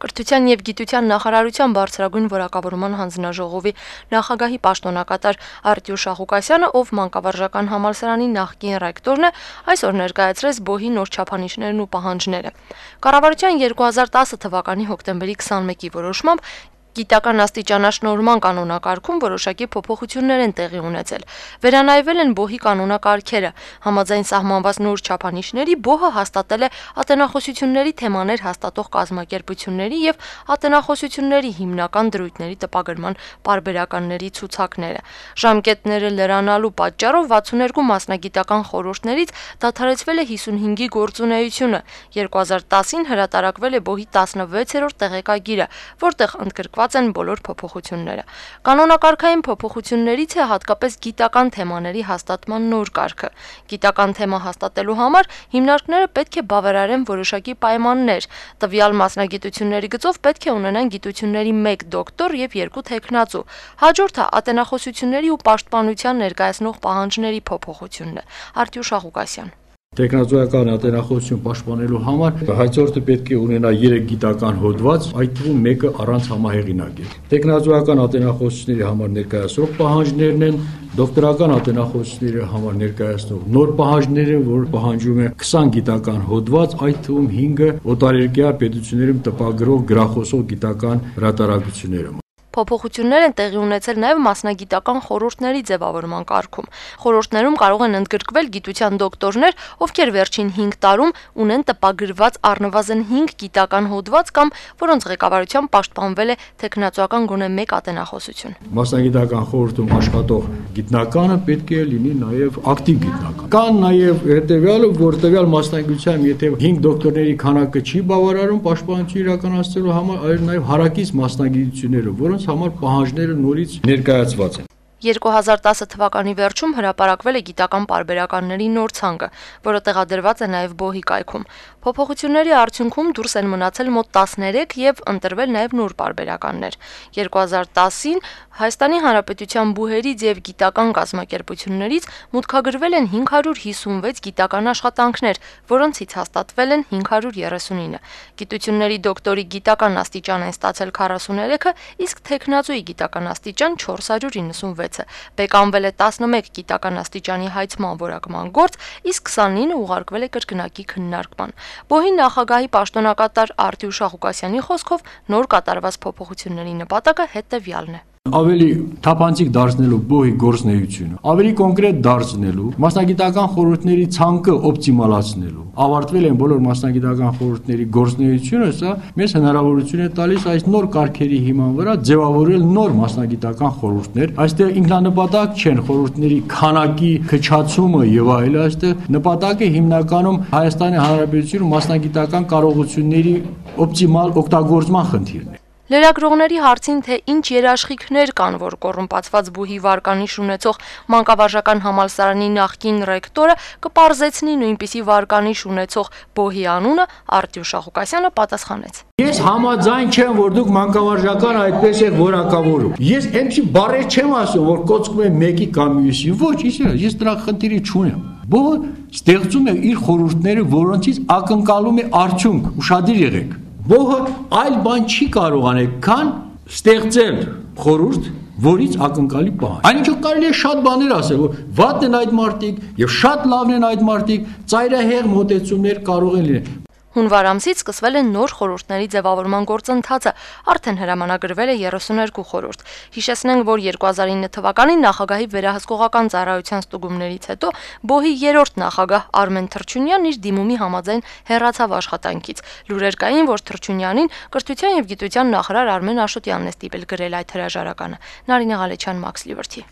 Կրթության և գիտության նախարարության բարձրագույն որակավորման հանձնաժողովի նախագահի պաշտոնակատար Արտյուշ Աղուկասյանը, ով մանկավարժական համալսարանի նախկին ռեկտորն է, այսօր ներկայացրեց ԲՕՀ-ի նոր չափանիշներն ու պահանջները։ Կառավարության 2010 թվականի հոկտեմբերի 21-ի որոշմամբ Գիտական աստիճանաշնորհման կանոնակարգում որոշակի փոփոխություններ են տեղի ունեցել։ Վերանայվել են ԲՕՀ-ի կանոնակարգերը։ Համաձայն սահմանված նոր չափանիշների ԲՕՀ-ը հաստատել է ատենախոսությունների թեմաներ հաստատող կազմակերպությունների և ատենախոսությունների հիմնական դրույթների տպագրման պարբերականների ցուցակները։ Ժամկետները լրանալու պատճառով 62 մասնագիտական խորհուրդներից դադարեցվել է 55-ի գործունեությունը։ 2010-ին հրատարակվել է ԲՕՀ-ի 16-րդ տեղեկագիրը, որտեղ ընդգրկված են բոլոր փոփոխությունները։ Կանոնակարգային փոփոխություններից է հատկապես գիտական թեմաների հաստատման նոր կարգը։ Գիտական թեմա հաստատելու համար հիմնարկները պետք է բավարարեն որոշակի պայմաններ։ Տվյալ մասնագիտությունների գծով պետք է ունենան գիտությունների 1 դոկտոր և 2 թեկնածու։ Հաջորդը ատենախոսությունների ու պաշտպանության ներկայացնող պահանջների փոփոխությունն է։ Արտյուշ Աղուկասյան։ Տեխնազոյական ատենախոսություն պաշտպանելու համար հայցորդը պետք է ունենա 3 գիտական հոդված, այդ թվում մեկը առանց համահեղինակ է։ Տեխնազոյական ատենախոսությունների համար ներկայացող պահանջներն են, դոկտորական ատենախոսությունների համար ներկայացնող նոր պահանջներ են, որ պահանջում է 20 գիտական հոդված, այդ թվում 5-ը օտարերկրյա պետություններում տպագրող գրախոսող գիտական հրատարակությունները։ Փոփոխություններ են տեղի ունեցել նաև մասնագիտական խորհուրդների ձևավորման կարգում։ Խորհուրդներում կարող են ընդգրկվել գիտության դոկտորներ, ովքեր վերջին 5 տարում ունեն տպագրված առնվազն 5 գիտական հոդված կամ որոնց ղեկավարությամբ պաշտպանվել է տեխնացուական գոնե 1 ատենախոսություն։ Մասնագիտական խորհրդում աշխատող գիտնականը պետք է լինի նաև ակտիվ գիտնական։ Կան նաև հետևյալը, որ տվյալ մասնագիտությամբ եթե 5 դոկտորների քանակը չի բավարարում պաշտպանություն իրականացնելու համար, այլ նաև հարակից մասնագիտությունները, որոնց համար պահանջները նորից ներկայացված են։ 2010 թվականի վերջում հրապարակվել է գիտական պարբերականների նոր ցանկը, որը տեղադրված է նաև ԲՕՀ-ի կայքում։ Փոփոխությունների արդյունքում դուրս են մնացել մոտ 13 և ընտրվել նաև նոր պարբերականներ։ 2010-ին Հայաստանի Հանրապետության բուհերից և գիտական կազմակերպություններից մուտքագրվել են 556 գիտական աշխատանքներ, որոնցից հաստատվել են 539։ Գիտությունների դոկտորի գիտական աստիճան են ստացել 43-ը, իսկ թեկնածուի գիտական աստիճան 496-ը։ Բեկանվել է 11 գիտական աստիճանի հայցման որակման գործ, իսկ 29-ը ուղարկվել է կրկնակի քննարկման։ ԲՕՀ-ի նախագահի պաշտոնակատար Արտյուշ Աղուկասյանի խոսքով նոր կատարված փոփոխությունների նպատակը հետևյալն է։ Ավելի թափանցիկ դարձնելու ԲՕՀ-ի գործունեությունը, ավելի կոնկրետ դարձնելու, մասնագիտական խորհուրդների ցանկը օպտիմալացնելու։ Ավարտվել են բոլոր մասնագիտական խորհուրդների գործունեությունը, սա մեզ հնարավորություն է տալիս այս նոր կարգերի հիման վրա ձևավորել նոր մասնագիտական խորհուրդներ։ Այստեղ ինքնանպատակ չեն խորհուրդների քանակի քչացումը եւ այլն, այստեղ նպատակը հիմնականում Հայաստանի Հանրապետությունում մասնագիտական կարողությունների օպտիմալ օգտագործման խնդիրն է։ Լրագրողների հարցին, թե ինչ երաշխիքներ կան, որ կոռումպացված ԲՈՒՀ-ի վարկանիշ ունեցող մանկավարժական համալսարանի նախկին ռեկտորը կպարզեցնի նույնպիսի վարկանիշ ունեցող ԲՈՀ-ի անունը, Արտյուշ Աղուկասյանը պատասխանեց. Ես համաձայն չեմ, որ դուք մանկավարժական այդպես եք որակավորում։ Ես այնպիսի բառեր չեմ ասում, որ կոծկում եմ մեկի կամ մյուսի։ Ոչ, ես դրա խնդիրը չունեմ։ ԲՈՀ-ը ստեղծում է իր խորհուրդները, որոնցից ակնկալում է արդյունք, ուշադիր եղեք։ ԲՈՀ-ը այլ բան չի կարող անել, քան ստեղծել խորհուրդ, որից ակնկալի պահանջ։ Այնինչո կարելի է շատ բաներ ասել, որ վատն են այդ մարդիկ եւ շատ լավն են այդ մարդիկ, ծայրահեղ մոտեցումներ կարող են լինել։ Հունվար ամսից սկսվել է նոր խորհուրդների ձևավորման գործընթացը, արդեն հրամանագրվել է 32 խորհուրդ։ Հիշեցնենք, որ 2009 թվականին նախագահի վերահսկողական ծառայության ստուգումներից հետո ԲՈՀ-ի երրորդ նախագահ Արմեն Թռչունյանն իր դիմումի համաձայն հեռացավ աշխատանքից։ Լուրեր կային, որ Թռչունյանին կրթության և գիտության նախարար Արմեն Աշոտյանն է ստիպել գրել այդ հրաժարականը։ Նարինե Ղալեչյան, Մաքս Լիբերթի։